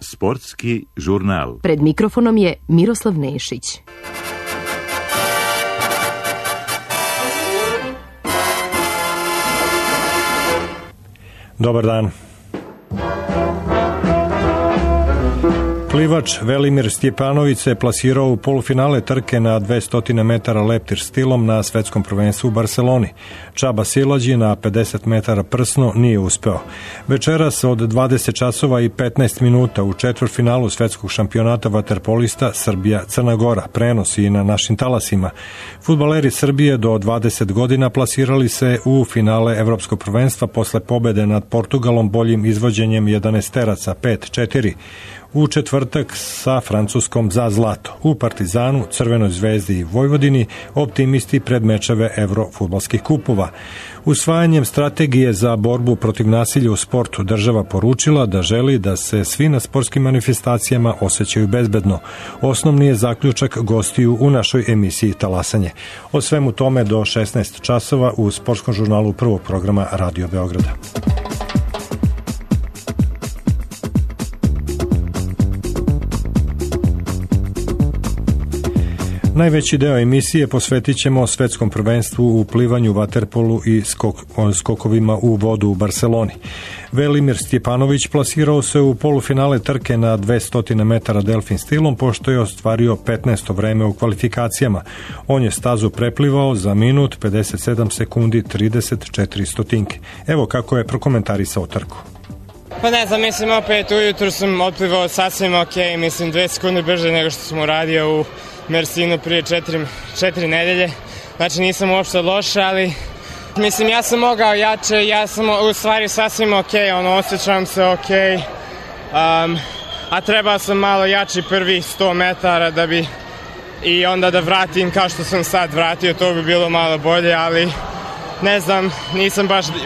Sportski žurnal. Pred mikrofonom je Miroslav Nešić. Dobar dan. Plivač Velimir Stjepanović se plasirao u polufinale trke na 200 metara leptir stilom na svetskom prvenstvu u Barseloni. Čaba Silađi na 50 metara prsno nije uspeo. Večeras od 20 časova i 15 minuta u četvrtfinalu svetskog šampionata vaterpolista Srbija-Crna Gora. Prenos i na našim talasima. Fudbaleri Srbije do 20 godina plasirali se u finale evropskog prvenstva posle pobede nad Portugalom boljim izvođenjem 11-teraca 5-4. U četvrtak sa Francuskom za zlato. U Partizanu, Crvenoj zvezdi i Vojvodini optimisti pred mečeve evrofudbalskih kupova. Usvajanjem strategije za borbu protiv nasilja u sportu država poručila da želi da se svi na sportskim manifestacijama osjećaju bezbedno. Osnovni je zaključak gostiju u našoj emisiji Talasanje. O svemu tome do 16 časova u sportskom žurnalu prvog programa Radio Beograda. Najveći deo emisije posvetit ćemo svetskom prvenstvu u plivanju, vaterpolu i skokovima u vodu u Barseloni. Velimir Stjepanović plasirao se u polufinale trke na 200 metara delfin stilom, pošto je ostvario 15. vreme u kvalifikacijama. On je stazu preplivao za minut 57 sekundi 34 stotinke. Evo kako je prokomentarisao trku. Pa ne znam, mislim opet ujutru sam otplivao sasvim ok, mislim 2 sekunde brže nego što sam uradio u Mersinu prije 4 nedelje. Znači nisam uopšte loš, ali mislim ja sam mogao jače, ja sam u stvari sasvim ok, osjećam se ok, a trebao sam malo jači prvi 100 metara da bi i onda da vratim kao što sam sad vratio, to bi bilo malo bolje, ali ne znam,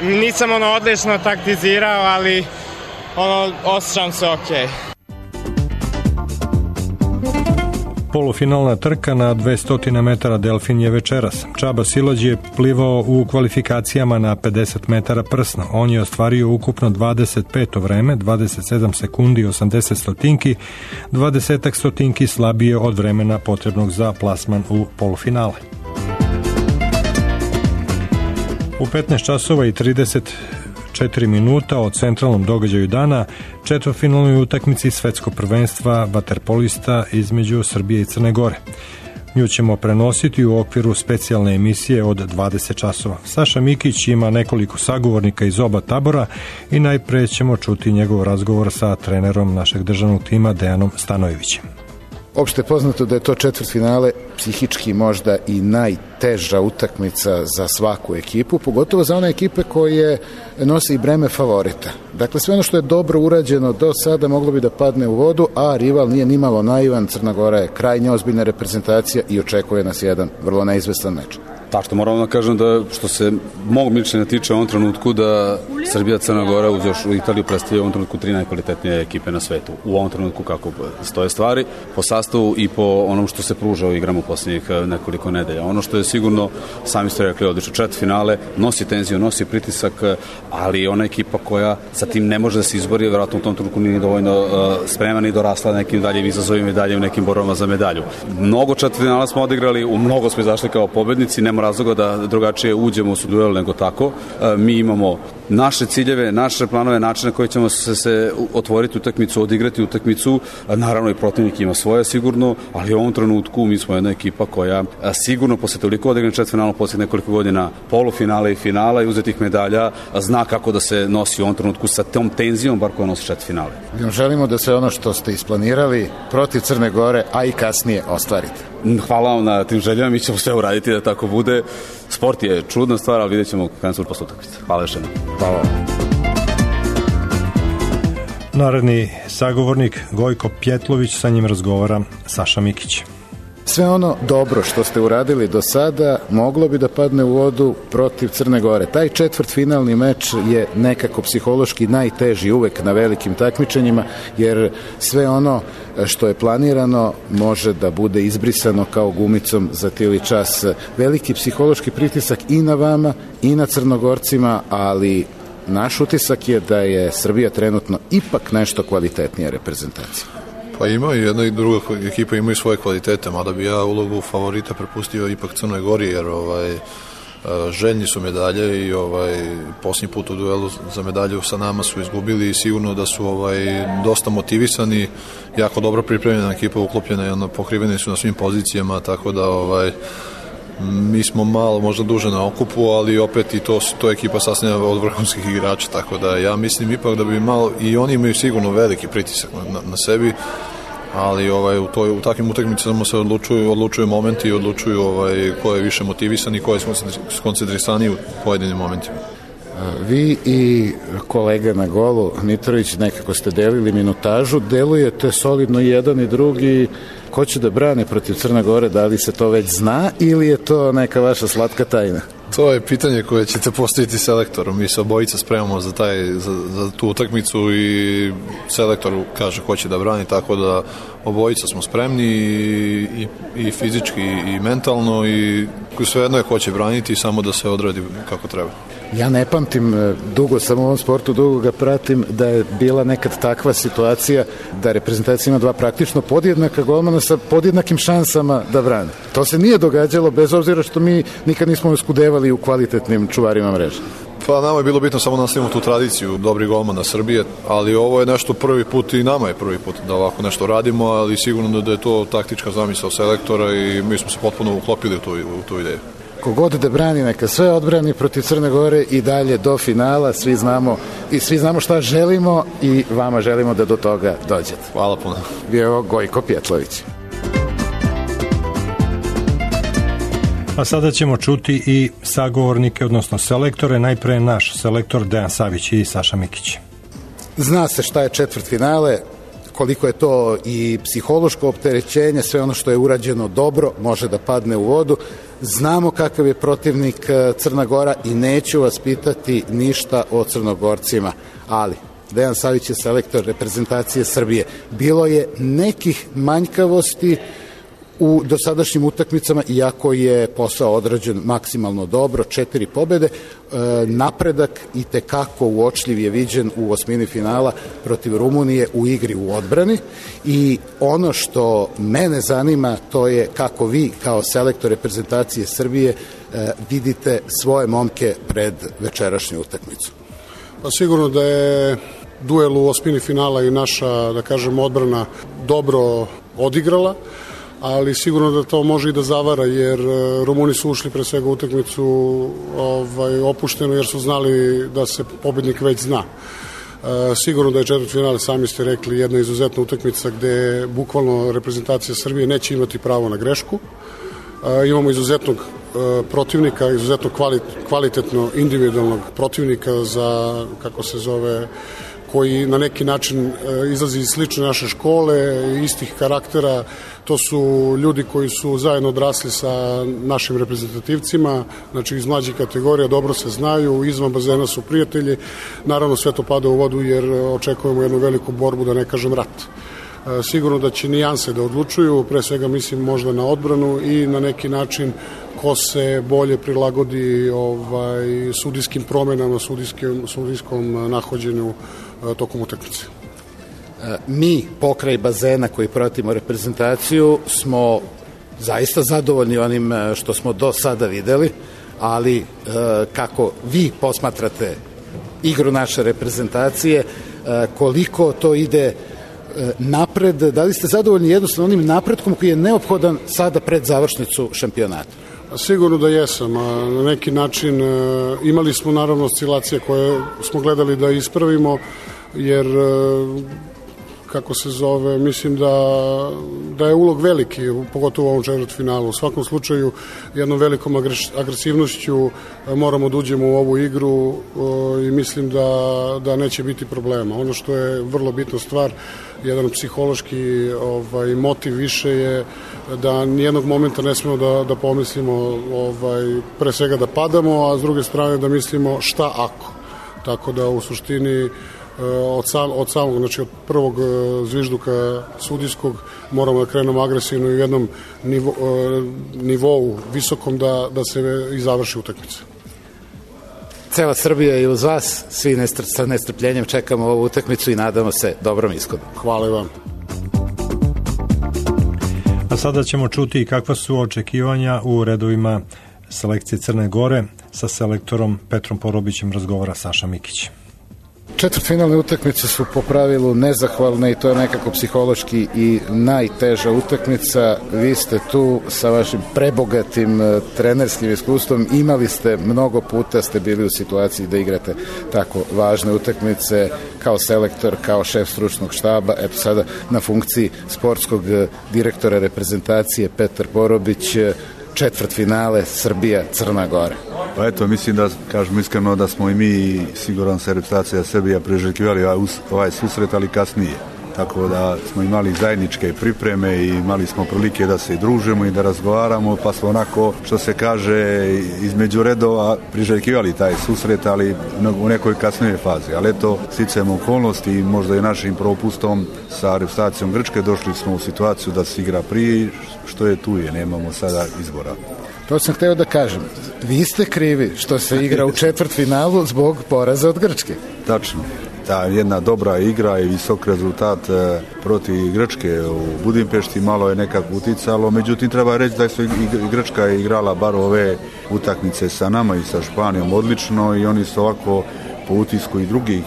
nisam odlično taktizirao, ali osjećam se ok. Polufinalna trka na 200 metara delfin je večeras. Čaba Silađi je plivao u kvalifikacijama na 50 metara prsno. On je ostvario ukupno 25. vreme, 27 sekundi 80 stotinki, 20 stotinki slabije od vremena potrebnog za plasman u polufinale. U 15 časova i 34 minuta od centralnom događaju dana, četvrtfinalnoj utakmici svetskog prvenstva vaterpolista između Srbije i Crne Gore. Nju ćemo prenositi u okviru specijalne emisije od 20 časova. Saša Mikić ima nekoliko sagovornika iz oba tabora i najpre ćemo čuti njegov razgovor sa trenerom našeg državnog tima Dejanom Stanojevićem. Opšte je poznato da je to četvrtfinale psihički možda i najteža utakmica za svaku ekipu, pogotovo za one ekipe koje nose i breme favorita. Dakle, sve ono što je dobro urađeno do sada moglo bi da padne u vodu, a rival nije nimalo naivan. Crna Gora je krajnje ozbiljna reprezentacija i očekuje nas jedan vrlo neizvestan meč. Tako moramo da kažem da što se mog mišljenja tiče u ovom trenutku da Srbija, Crna Gora uz još u Italiju predstavlja u ovom trenutku 3 najkvalitetnije ekipe na svetu. U ovom trenutku kako stoje stvari, po sastavu i po onom što se pruža u igrama u posljednjih nekoliko nedelja. Ono što je sigurno, sami ste rekli, odlično četvrtfinale, nosi tenziju, nosi pritisak, ali ona ekipa koja sa tim ne može da se izbori, vjerojatno u tom trenutku nije dovoljno spremana i dorasla nekim daljim izazovima i dalje u nekim borbama za medalju. Mnogo četvrtfinala smo odigrali, u mnogo smo izašli kao pobednici, nema razloga da drugačije uđemo u duel nego tako. Mi imamo naše ciljeve, naše planove, načine koje ćemo se otvoriti utakmicu, odigrati utakmicu. Naravno i protivnik ima svoje sigurno, ali u ovom trenutku mi smo jedna ekipa koja sigurno posle toliko odigrane četvrtfinala posle nekoliko godina polufinale i finala i uzetih medalja zna kako da se nosi u ovom trenutku sa tom tenzijom bar koja nosi četvrtfinale. Želimo da se ono što ste isplanirali protiv Crne Gore, a i kasnije ostvarite. Hvala vam na tim željama, mi ćemo sve uraditi da tako bude. Sport je čudna stvar, ali vidjet ćemo kako se posle utakmice. Hvala još jednom. Hvala. Naredni sagovornik Gojko Pjetlović, sa njim razgovara Saša Mikić. Sve ono dobro što ste uradili do sada moglo bi da padne u vodu protiv Crne Gore. Taj četvrtfinalni meč je nekako psihološki najteži uvek na velikim takmičenjima, jer sve ono što je planirano može da bude izbrisano kao gumicom za tili čas. Veliki psihološki pritisak i na vama i na Crnogorcima, ali naš utisak je da je Srbija trenutno ipak nešto kvalitetnija reprezentacija. Pa ima i jedna i druga ekipa imaju svoje kvalitete, mada bi ja ulogu favorita prepustio ipak Crnoj Gori, jer željni su medalje i posljednji put u duelu za medalju sa nama su izgubili i sigurno da su dosta motivisani, jako dobro pripremljena ekipa, uklopljena i pokriveni su na svim pozicijama, tako da mi smo malo možda duže na okupu, ali opet i to je ekipa sastavljena od vrhunskih igrača, tako da ja mislim ipak da bi malo, i oni imaju sigurno veliki pritisak na sebi, ali u takvim utakmicama se odlučuju momenti i odlučuju ko je više motivisan i ko je skoncentrisaniji u pojedinim momentima. Vi i kolega na golu, Mitrović, nekako ste delili minutažu, delujete solidno jedan i drugi. Ko će da brane protiv Crne Gore, da li se to već zna ili je to neka vaša slatka tajna? To je pitanje koje ćete postaviti selektoru. Mi se obojica spremamo za tu utakmicu i selektor kaže ko će da brani, tako da obojica smo spremni i fizički i mentalno i svejedno je ko će braniti, samo da se odradi kako treba. Ja ne pamtim, dugo sam u ovom sportu, dugo ga pratim, da je bila nekad takva situacija da reprezentacija ima dva praktično podjednaka golmana sa podjednakim šansama da brane. To se nije događalo, bez obzira što mi nikad nismo oskudevali u kvalitetnim čuvarima mreže. Pa nama je bilo bitno samo nastavimo tu tradiciju dobrih golmana Srbije, ali ovo je nešto prvi put i nama je prvi put da ovako nešto radimo, ali sigurno da je to taktička zamisao selektora i mi smo se potpuno uklopili u tu ideju. Kogod da brani, neka sve odbrani protiv Crne Gore i dalje do finala, svi znamo šta želimo i vama želimo da do toga dođete. Hvala puno. Bio je ovo Gojko Pjetlović. A sada ćemo čuti i sagovornike, odnosno selektore, najpre naš selektor Dejan Savić i Saša Mikić. Zna se šta je četvrtfinale, koliko je to i psihološko opterećenje, sve ono što je urađeno dobro može da padne u vodu. Znamo kakav je protivnik Crna Gora i neću vas pitati ništa o Crnogorcima, ali Dejan Savić je selektor reprezentacije Srbije. Bilo je nekih manjkavosti u dosadašnjim utakmicama, iako je posao odrađen maksimalno dobro, 4 pobede, napredak i tekako uočljiv je viđen u osmini finala protiv Rumunije u igri u odbrani i ono što mene zanima to je kako vi kao selektor reprezentacije Srbije vidite svoje momke pred večerašnju utakmicu. Pa sigurno da je duel u osmini finala i naša, da kažem, odbrana dobro odigrala, ali sigurno da to može i da zavara, jer Rumuni su ušli pre svega u utakmicu opušteno, jer su znali da se pobednik već zna. Sigurno da je četvrtfinale, sami ste rekli, jedna izuzetna utakmica gde bukvalno reprezentacija Srbije neće imati pravo na grešku. Imamo izuzetnog protivnika, izuzetno kvalitetno individualnog protivnika za, kako se zove, koji na neki način izlazi iz slične naše škole, istih karaktera. To su ljudi koji su zajedno odrasli sa našim reprezentativcima, znači iz mlađih kategorija, dobro se znaju, izvan bazena su prijatelji. Naravno sve to pada u vodu jer očekujemo jednu veliku borbu, da ne kažem rat. Sigurno da će nijanse da odlučuju, pre svega mislim možda na odbranu i na neki način ko se bolje prilagodi sudijskim promenama, sudijskom nahođenju tokom utakmice. Mi, pokraj bazena koji pratimo reprezentaciju, smo zaista zadovoljni onim što smo do sada videli, ali kako vi posmatrate igru naše reprezentacije, koliko to ide napred, da li ste zadovoljni jednostavno onim napretkom koji je neophodan sada pred završnicu šampionata? Sigurno da jesam, a na neki način imali smo naravno oscilacije koje smo gledali da ispravimo, jer mislim da je ulog veliki, pogotovo u ovom četvrtfinalu. U svakom slučaju, jednom velikom agresivnošću moramo da uđemo u ovu igru i mislim da neće biti problema. Ono što je vrlo bitna stvar, jedan psihološki motiv više je da nijednog momenta ne smemo da pomislimo pre svega da padamo, a s druge strane da mislimo šta ako. Tako da u suštini od samog, znači od prvog zvižduka sudijskog moramo da krenemo agresivno i u jednom nivou visokom da se i završi utakmica. Cela Srbija je uz vas, svi sa nestrpljenjem čekamo ovu utakmicu i nadamo se dobrom ishodu. Hvala i vam. A sada ćemo čuti kakva su očekivanja u redovima selekcije Crne Gore. Sa selektorom Petrom Porobićem razgovara Saša Mikić. Četvrtfinalne utakmice su po pravilu nezahvalne i to je nekako psihološki i najteža utakmica. Vi ste tu sa vašim prebogatim trenerskim iskustvom, imali ste mnogo puta, ste bili u situaciji da igrate tako važne utakmice kao selektor, kao šef stručnog štaba, eto sada na funkciji sportskog direktora reprezentacije Petar Porobić, četvrtfinale Srbija-Crna Gora. Pa eto, mislim da, kažemo iskreno, da smo i mi, siguran se, reprezentacija Srbija priželjkivali ovaj susret, ali kasnije. Tako da smo imali zajedničke pripreme i imali smo prilike da se družimo i da razgovaramo, pa smo onako, što se kaže, između redova priželjkivali taj susret, ali u nekoj kasnijoj fazi. Ali eto, sticajem okolnosti i možda i našim propustom sa reprezentacijom Grčke došli smo u situaciju da se igra prije, što je tu je, nemamo sada izbora. To sam hteo da kažem. Vi ste krivi što se igra u četvrtfinalu zbog poraza od Grčke. Tačno. Ta jedna dobra igra i visok rezultat protiv Grčke u Budimpešti malo je nekako uticalo, međutim treba reći da su i Grčka igrala bar ove utakmice sa nama i sa Španijom odlično i oni su ovako po utisku i drugih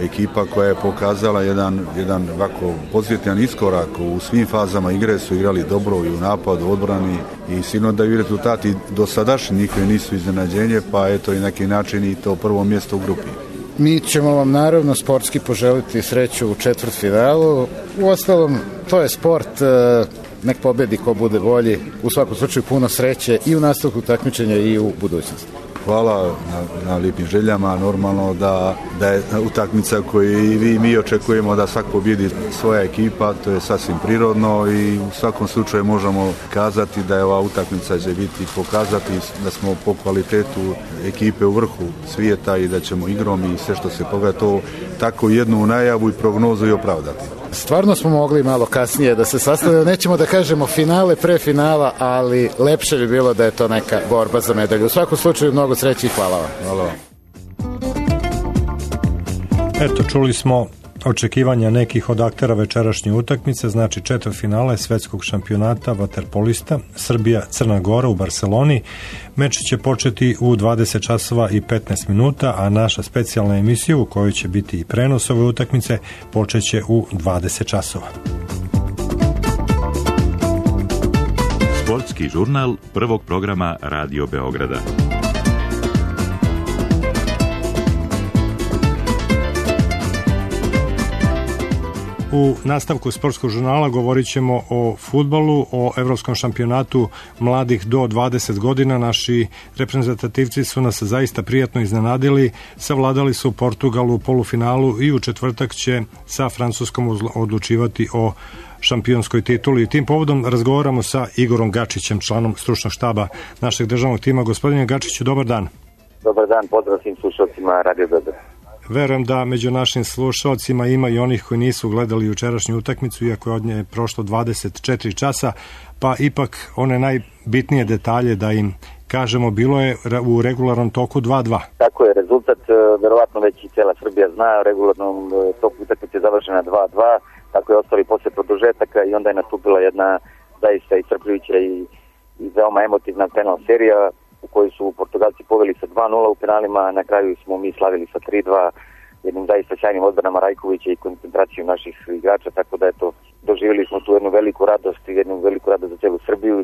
ekipa koja je pokazala jedan ovako pozitivan iskorak u svim fazama igre, su igrali dobro i u napadu, odbrani i sigurno da i rezultati dosadašnji njihove nisu iznenađenje, pa eto i neki način i to prvo mjesto u grupi. Mi ćemo vam naravno sportski poželiti sreću u četvrtfinalu. Uostalom, to je sport, nek pobedi ko bude bolji. U svakom slučaju puno sreće i u nastavku takmičenja i u budućnosti. Hvala na lijepim željama, normalno da je utakmica koju i vi i mi očekujemo da svak pobjedi svoja ekipa, to je sasvim prirodno i u svakom slučaju možemo kazati da je ova utakmica će biti pokazati da smo po kvalitetu ekipe u vrhu svijeta i da ćemo igrom i sve što se pogleda to tako jednu najavu i prognozu i opravdati. Stvarno smo mogli malo kasnije da se sastavimo, nećemo da kažemo finale pre finala, ali lepše bi bilo da je to neka borba za medalju. U svakom slučaju mnogo sreće i hvala vam. Hvala vam. Eto, čuli smo očekivanja nekih od aktera večerašnje utakmice, znači četvrtfinale svetskog šampionata vaterpolista Srbija-Crna Gora u Barseloni. Meč će početi u 20 časova i 15 minuta, a naša specijalna emisija u kojoj će biti i prenos ove utakmice počeće u 20 časova. Sportski žurnal prvog programa Radio Beograda. U nastavku sportskog žurnala govorit ćemo o fudbalu, o evropskom šampionatu mladih do 20 godina. Naši reprezentativci su nas zaista prijatno iznenadili. Savladali su Portugalu u polufinalu i u četvrtak će sa Francuskom odlučivati o šampionskoj tituli. Tim povodom razgovaramo sa Igorom Gačićem, članom stručnog štaba našeg državnog tima. Gospodine Gačiću, dobar dan. Dobar dan, pozdrav svim slušalcima Radio Beograd. Verujem da među našim slušalcima ima i onih koji nisu gledali jučerašnju utakmicu, iako je od nje prošlo 24 časa, pa ipak one najbitnije detalje da im kažemo, bilo je u regularnom toku 2-2. Tako je, rezultat verovatno već i cela Srbija zna, u regularnom toku utakmice je završena 2-2, tako je ostali posle produžetaka i onda je nastupila jedna zaista iscrpljujuća i veoma emotivna penal serija u kojoj su Portugalci poveli sa 2-0 u penalima, na kraju smo mi slavili sa 3-2 jednim zaista sjajnim odbranama Rajkovića i koncentracijom naših igrača, tako da eto, doživjeli smo tu jednu veliku radost i jednu veliku radost za celu Srbiju,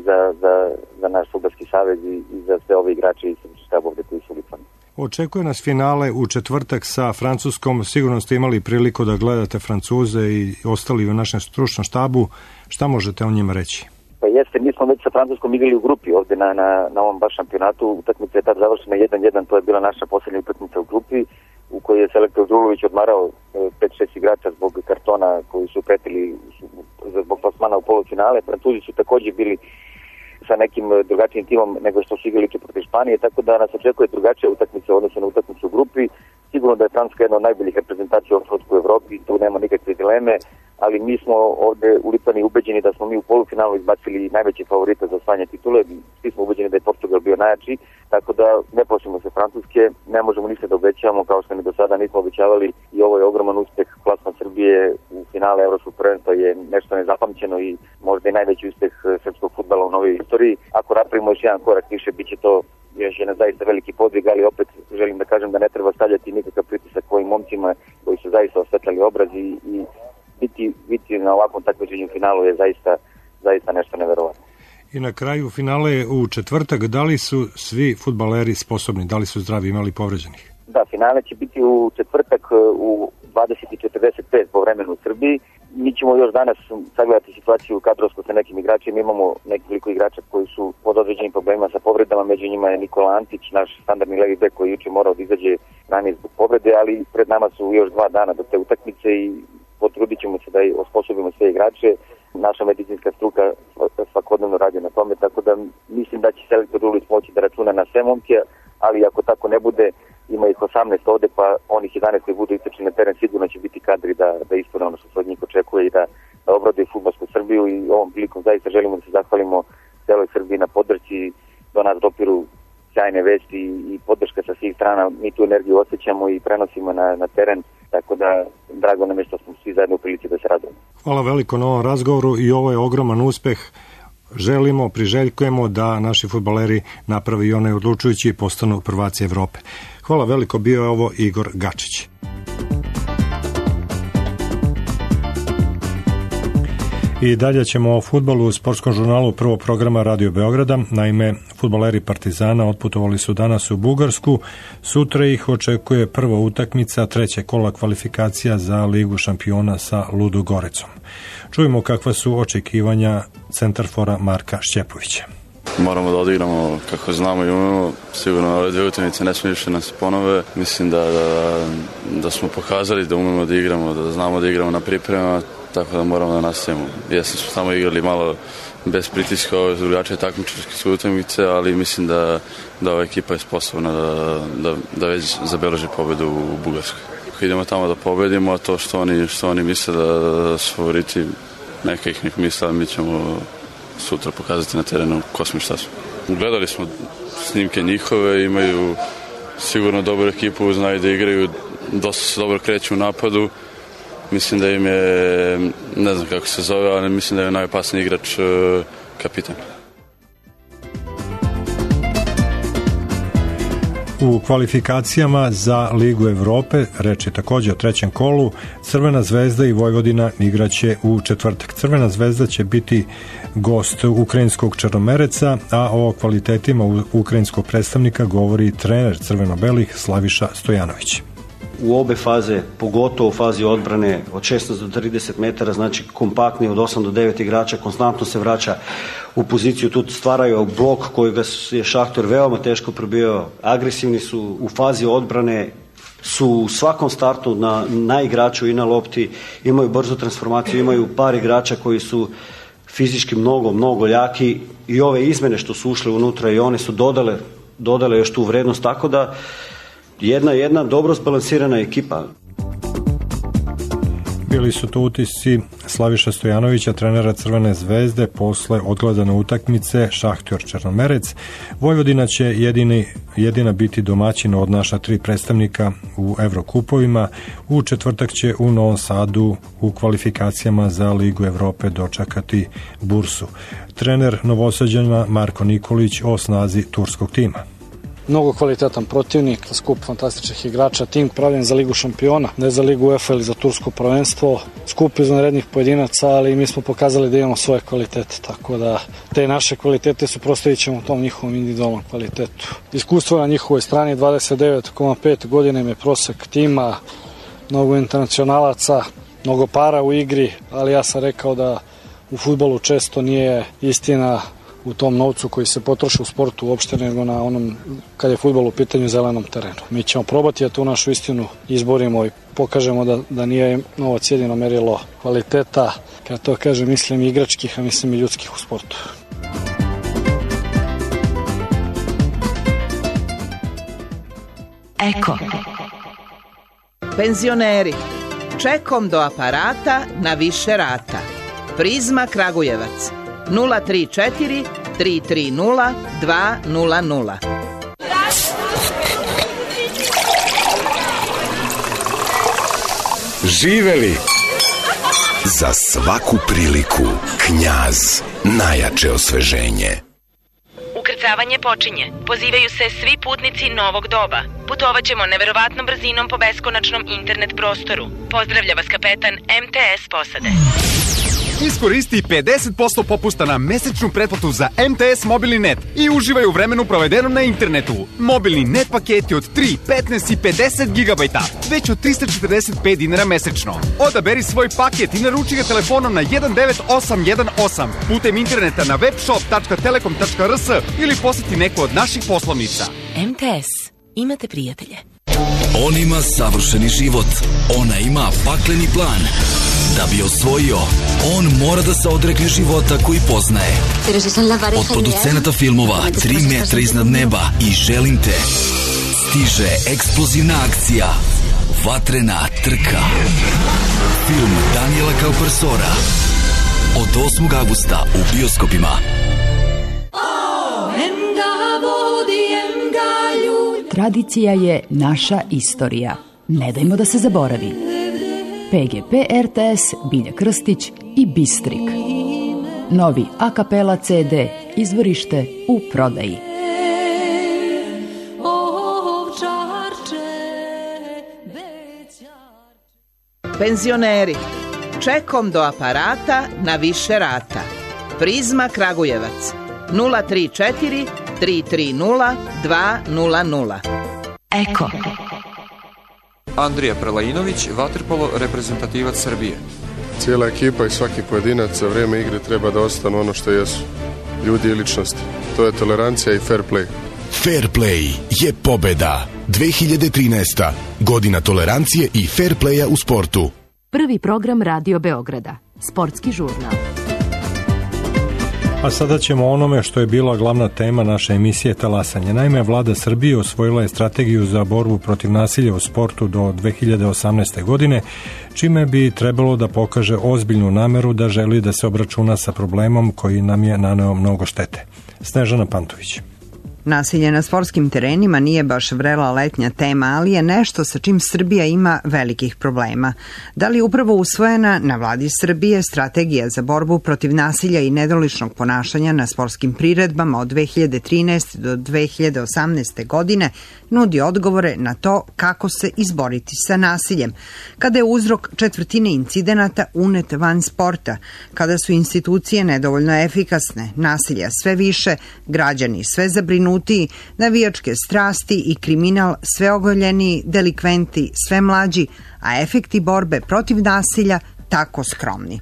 za naš fudbalski savez i za sve ove igrače i štaba ovde koji su ulicani. Očekuje nas finale u četvrtak sa Francuskom. Sigurno ste imali priliku da gledate Francuze i ostali u našem stručnom štabu. Šta možete o njima reći? Pa jeste, mi smo već sa Francuskom igrali u grupi ovde na ovom baš šampionatu. Utakmica je tad završena 1-1, to je bila naša posljednja utakmica u grupi u kojoj je selektor Đulović odmarao 5-6 igrača zbog kartona koji su pretili zbog plasmana u polufinale. Francuzi su također bili sa nekim drugačijim timom nego što su igrali protiv Španije, tako da nas očekuje drugačija utakmica u odnosu na utakmicu u grupi. Sigurno da je Francuska jedna od najboljih reprezentacija u Evropi, tu nema nikakve dileme, ali mi smo ovde u Litvani ubeđeni da smo mi u polufinalu izbacili najveće favorite za osvajanje titule. Svi smo ubeđeni da je Portugal bio najjači, tako da ne plašimo se Francuske, ne možemo ništa da obećavamo kao što ni do sada nismo obećavali i ovo je ogroman uspeh. Plasman Srbije u finale Evropskog prvenstva je nešto nezapamćeno i možda i najveći uspeh srpskog fudbala u novoj istoriji. Ako napravimo još jedan korak više, bit će to još jedan zaista veliki podvig, ali opet želim da kažem da ne treba stavljati nikakav pritisak ovim momcima koji su zaista osvetljali obraz i biti na ovakvom takmičenju u finalu je zaista nešto neverovatno. I na kraju finale u četvrtak, da li su svi fudbaleri sposobni, da li su zdravi, imali povređenih? Da, finale će biti u četvrtak u 20:45 po vremenu u Srbiji. Mi ćemo još danas sagledati situaciju kadrovsko sa nekim igračima. Imamo nekoliko igrača koji su pod određenim problemima sa povredama, među njima je Nikola Antić, naš standardni levi bek koji juče morao da izađe ranije zbog povrede, ali pred nama su još 2 dana do te utakmice i potrudit ćemo se da osposobimo sve igrače. Naša medicinska struka svakodnevno radi na tome, tako da mislim da će selektor Đulović moći da računa na sve momke, ali ako tako ne bude, ima ih 18 ovde, pa onih 11 koji budu istrčeni na teren sigurno će biti kadri da ispune ono što se od njih očekuje i da obrade fudbalsku Srbiju i ovom prilikom zaista želimo da se zahvalimo celoj Srbiji na podršci. Do nas dopiru sjajne vesti i podrška sa svih strana. Mi tu energiju osjećamo i prenosimo na teren, tako da drago nam je što smo svi zajedno u prilici da se radujemo. Hvala veliko na ovom razgovoru i ovo je ogroman uspeh. Priželjkujemo da naši fudbaleri napravi onaj odlučujući i postanu prvaci Evrope. Hvala veliko, bio je ovo Igor Gačić. I dalje ćemo o fudbalu u sportskom žurnalu prvog programa Radio Beograda. Naime, fudbaleri Partizana otputovali su danas u Bugarsku. Sutra ih očekuje prva utakmica trećeg kola kvalifikacija za Ligu šampiona sa Ludogoricom. Čujemo kakva su očekivanja centarfora Marka Šćepovića. Moramo da odigramo kako znamo i umemo. Sigurno ove 2 utakmice ne smije više nas ponove. Mislim da smo pokazali da umemo da igramo, da znamo da igramo na pripremama, tako da moramo da nastavimo. Jesmo smo samo igrali malo bez pritiska ove drugačije takmičarske utakmice, ali mislim da ova ekipa je sposobna da već zabeleži pobedu u Bugarskoj. Ako idemo tamo da pobedimo, a to što oni misle da su favoriti, neka ih nek misle, mi ćemo sutra pokazati na terenu ko smo i šta smo. Gledali smo snimke njihove, imaju sigurno dobru ekipu, znaju da igraju, dosta se dobro kreću u napadu. Mislim da im je, ne znam kako se zove, ali mislim da je najopasniji igrač kapitan. U kvalifikacijama za Ligu Evrope, reč je također o trećem kolu, Crvena zvezda i Vojvodina igraće u četvrtak. Crvena zvezda će biti gost ukrajinskog Črnomereca, a o kvalitetima ukrajinskog predstavnika govori trener crveno-belih Slaviša Stojanović. U obe faze, pogotovo u fazi odbrane od 16 do 30 metara, znači kompaktni od 8 do 9 igrača, konstantno se vraća u poziciju, tu stvaraju blok kojega je Šahtor veoma teško probio, agresivni su u fazi odbrane, su u svakom startu na igraču i na lopti, imaju brzu transformaciju, imaju par igrača koji su fizički mnogo jaki i ove izmene što su ušle unutra i one su dodale još tu vrednost, tako da jedna dobro zbalansirana ekipa. Bili su to utisci Slaviša Stojanovića, trenera Crvene zvezde, posle odgledane utakmice Šahtor Črnomerec. Vojvodina će jedina biti domaćina od naša 3 predstavnika u Evrokupovima. U četvrtak će u Novom Sadu u kvalifikacijama za Ligu Evrope dočekati Bursu. Trener Novosađana Marko Nikolić o snazi turskog tima. mnogo kvalitetan protivnik, skup fantastičnih igrača, tim pravljen za Ligu šampiona, ne za Ligu UEFA ili za tursko prvenstvo, skup izvanrednih pojedinaca, ali mi smo pokazali da imamo svoje kvalitete, tako da te naše kvalitete suprotstavit ćemo tom njihovom individualnom kvalitetu. Iskustvo na njihovoj strani, 29,5 godina im je prosek tima, mnogo internacionalaca, mnogo para u igri, ali ja sam rekao da u fudbalu često nije istina u tom novcu koji se potroši u sportu uopšte, nego na onom, kad je fudbal u pitanju, zelenom terenu. Mi ćemo probati da tu našu istinu izborimo i pokažemo da nije novac jedino merilo kvaliteta, kad to kažem mislim i igračkih, a mislim i ljudskih u sportu. Eko. Penzioneri, čekom do aparata na više rata. Prizma Kragujevac 034 330 200. Živeli! Za svaku priliku Knjaz, najjače osveženje. Ukrcavanje počinje. Pozivaju se svi putnici novog doba. Putovaćemo neverovatnom brzinom po beskonačnom internet prostoru. Pozdravlja vas kapetan MTS posade. Iskoristi 50% popusta na mesečnu pretplatu za MTS mobilni net i uživaj u vremenu provedenom na internetu. Mobilni net paketi od 3, 15 i 50 GB, već od 345 dinara mesečno. Odaberi svoj paket i naruči ga telefonom na 19818 putem interneta na webshop.telekom.rs ili poseti neku od naših poslovnica. MTS. Imate prijatelje. On ima savršeni život. Ona ima pakleni plan. Da bi osvojio, on mora da se odrekne života koji poznaje. Od producenata filmova 3 metra iznad neba i Želim te stiže eksplozivna akcija Vatrena trka. Film Daniela Kaupersora od 8. avgusta u bioskopima. Tradicija je naša istorija. Ne dajmo da se zaboravi. PGP RTS, Bilja Krstić i Bistrik. Novi a kapela CD, izvorište u prodaji. Penzioneri, čekom do aparata na više rata. Prizma Kragujevac 034 330 200. Eko. Andrija Prelajinović, vaterpolo reprezentativac Srbije. Cijela ekipa i svaki pojedinac za vrijeme igre treba da ostanu ono što jesu. Ljudi i ličnosti. To je tolerancija i fair play. Fair play je pobeda. 2013. Godina tolerancije i fair playa u sportu. Prvi program Radio Beograda. Sportski žurnal. A sada ćemo o onome što je bila glavna tema naše emisije Talasanje. Naime, vlada Srbije osvojila je strategiju za borbu protiv nasilja u sportu do 2018. godine, čime bi trebalo da pokaže ozbiljnu nameru da želi da se obračuna sa problemom koji nam je naneo mnogo štete. Snežana Pantović. Nasilje na sportskim terenima nije baš vrela letnja tema, ali je nešto sa čim Srbija ima velikih problema. Da li upravo usvojena na vladi Srbije strategija za borbu protiv nasilja i nedoličnog ponašanja na sportskim priredbama od 2013. do 2018. godine nudi odgovore na to kako se izboriti sa nasiljem, kada je uzrok četvrtine incidenata unet van sporta, kada su institucije nedovoljno efikasne, nasilja sve više, građani sve zabrinutiji, navijačke strasti i kriminal sve ogoljeniji, delikventi sve mlađi, a efekti borbe protiv nasilja tako skromni.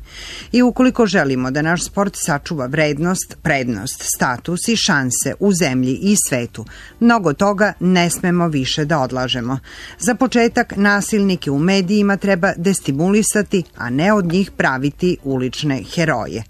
I ukoliko želimo da naš sport sačuva vrednost, prednost, status i šanse u zemlji i svetu, mnogo toga ne smemo više da odlažemo. Za početak, nasilnike u medijima treba destimulisati, a ne od njih praviti ulične heroje.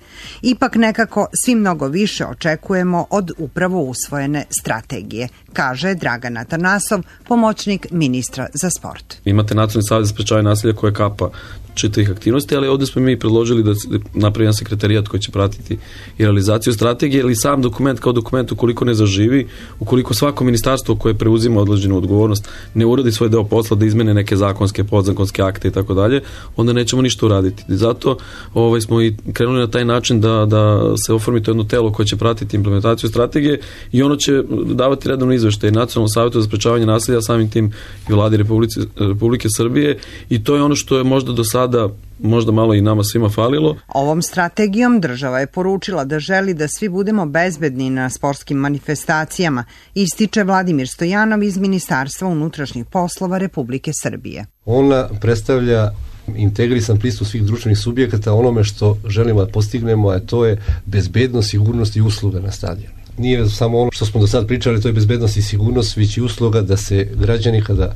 Ipak nekako svi mnogo više očekujemo od upravo usvojene strategije, kaže Dragan Atanasov, pomoćnik ministra za sport. Imate Nacionalni savez za sprečavanje nasilja koje kapa čitavih aktivnosti, ali ovde smo mi predložili da se napravi jedan sekretarijat koji će pratiti i realizaciju strategije, ili sam dokument kao dokument ukoliko ne zaživi, ukoliko svako ministarstvo koje preuzima određenu odgovornost ne uradi svoj deo posla da izmene neke zakonske, podzakonske akte i tako dalje, onda nećemo ništa uraditi. Zato smo i krenuli na taj način da se oformi to jedno telo koje će pratiti implementaciju strategije i ono će davati redovno izveštaje Nacionalnom savetu za sprečavanje nasilja, samim tim i Vladi Republike Srbije, i to je ono što je možda do sada možda malo i nama svima falilo. Ovom strategijom država je poručila da želi da svi budemo bezbedni na sportskim manifestacijama, ističe Vladimir Stojanov iz Ministarstva unutrašnjih poslova Republike Srbije. Ona predstavlja integrisan pristup svih društvenih subjekata onome što želimo da postignemo, a to je bezbednost, sigurnost i usluga na stadionu. Nije samo ono što smo do sad pričali, to je bezbednost i sigurnost, već i usluga da se građani kada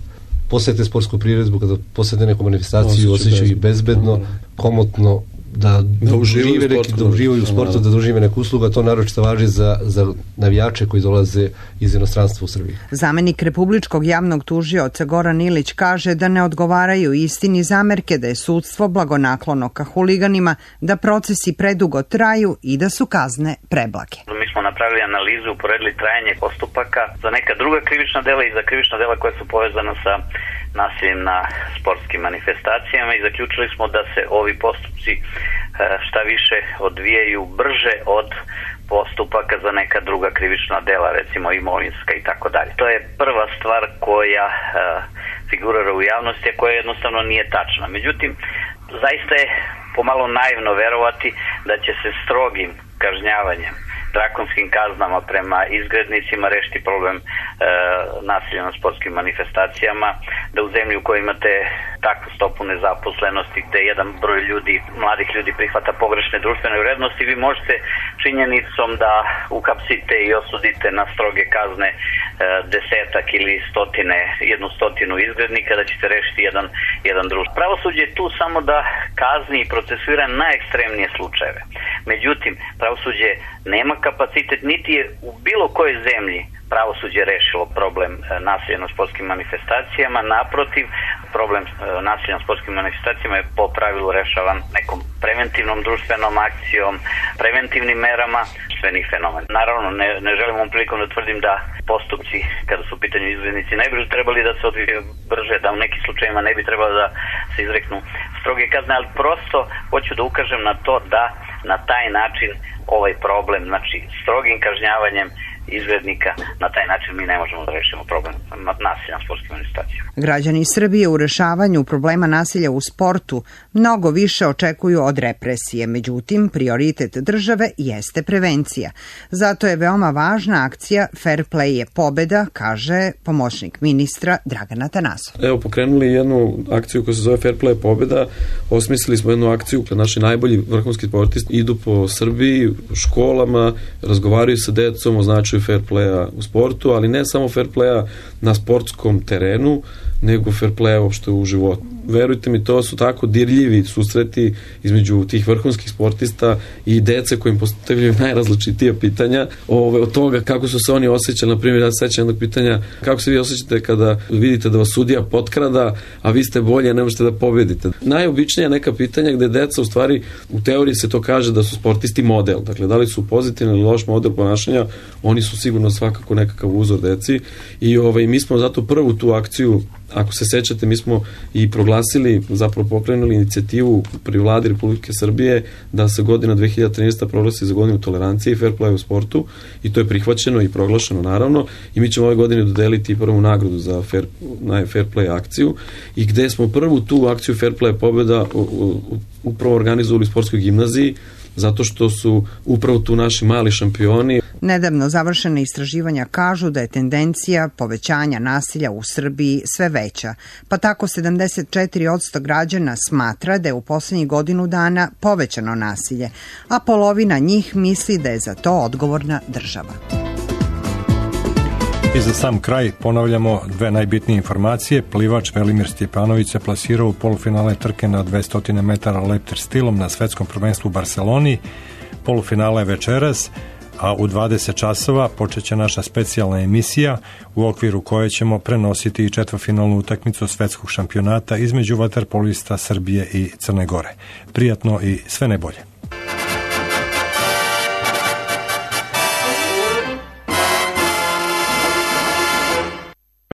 posete sportsku priredbu, kada posete neku manifestaciju, osjećaju bezbedno, komotno, da uživaju u sportu, da dožive neku uslugu, to naročito važi za navijače koji dolaze iz inostranstva u Srbiji. Zamenik Republičkog javnog tužioca Goran Ilić kaže da ne odgovaraju istini zamerke da je sudstvo blagonaklono ka huliganima, da procesi predugo traju i da su kazne preblage. Mi smo napravili analizu, uporedili trajanje postupaka za neka druga krivična dela i za krivična dela koja su povezana sa nasiljem na sportskim manifestacijama i zaključili smo da se ovi postupci šta više odvijaju brže od postupaka za neka druga krivična dela, recimo imovinska i tako dalje. To je prva stvar koja figurira u javnosti, a koja jednostavno nije tačna. Međutim, zaista je pomalo naivno verovati da će se strogim kažnjavanjem, drakonskim kaznama prema izgrednicima rešiti problem nasilja na sportskim manifestacijama, da u zemlji u kojoj imate takvu stopu nezaposlenosti gde jedan broj ljudi, mladih ljudi prihvata pogrešne društvene vrednosti, vi možete činjenicom da uhapsite i osudite na stroge kazne desetak ili jednu stotinu izgrednika, da ćete rešiti jedan društvo. Pravosuđe je tu samo da kazni i procesuira najekstremnije slučajeve. Međutim, pravosuđe nema kapacitet, niti je u bilo kojoj zemlji pravosuđe rešilo problem nasilja na sportskim manifestacijama. Naprotiv, problem nasilja na sportskim manifestacijama je po pravilu rešavan nekom preventivnom društvenom akcijom, preventivnim merama društvenih fenomena. Naravno, ne želim ovom prilikom da tvrdim da postupci, kada su u pitanju izgrednici, ne bi trebali da se odvijaju brže, da u nekim slučajima ne bi trebalo da se izreknu stroge kazne, ali prosto hoću da ukažem na to da na taj način ovaj problem, znači strogim kažnjavanjem izgrednika, na taj način mi ne možemo da rešimo problem nasilja na sportskim manifestacijama. Građani Srbije u rešavanju problema nasilja u sportu mnogo više očekuju od represije, međutim, prioritet države jeste prevencija. Zato je veoma važna akcija Fair Play je pobeda, kaže pomoćnik ministra Dragan Atanasov. Evo, pokrenuli jednu akciju koja se zove Fair Play je pobeda, osmislili smo jednu akciju kada naši najbolji vrhunski sportisti idu po Srbiji, školama, razgovaraju sa decom o značaju fair playa u sportu, ali ne samo fair playa na sportskom terenu, nego fair playa uopšte u životu. Verujte mi, to su tako dirljivi susreti između tih vrhunskih sportista i dece kojim postavljaju najrazličitija pitanja od toga kako su se oni osjećali. Na primjer, ja se sećam jednog pitanja, kako se vi osjećate kada vidite da vas sudija potkrada, a vi ste bolje, ne možete da pobedite. Najobičnija neka pitanja gde deca, u stvari, u teoriji se to kaže da su sportisti model. Dakle, da li su pozitivni ili loš model ponašanja, oni su sigurno svakako nekakav uzor deci i mi smo zato prvu tu akciju, ako se sećate, mi smo i proglasili, zapravo pokrenuli inicijativu pri Vladi Republike Srbije da se godina 2013. proglasi za godinu tolerancije i fair play u sportu i to je prihvaćeno i proglašeno naravno i mi ćemo ove godine dodeliti prvu nagradu za fair play akciju i gde smo prvu tu akciju fair play pobjeda upravo organizovali u sportskoj gimnaziji zato što su upravo tu naši mali šampioni. Nedavno završene istraživanja kažu da je tendencija povećanja nasilja u Srbiji sve veća, pa tako 74% građana smatra da je u poslednjih godinu dana povećano nasilje, a polovina njih misli da je za to odgovorna država. I za sam kraj ponavljamo dve najbitnije informacije. Plivač Velimir Stjepanović se plasirao u polufinale trke na 200 metara leptir stilom na svetskom prvenstvu u Barseloni. Polufinale večeras. a u 20 časova počeće naša specijalna emisija u okviru koje ćemo prenositi i četvrtfinalnu utakmicu svetskog šampionata između vaterpolista Srbije i Crne Gore. Prijatno i sve najbolje.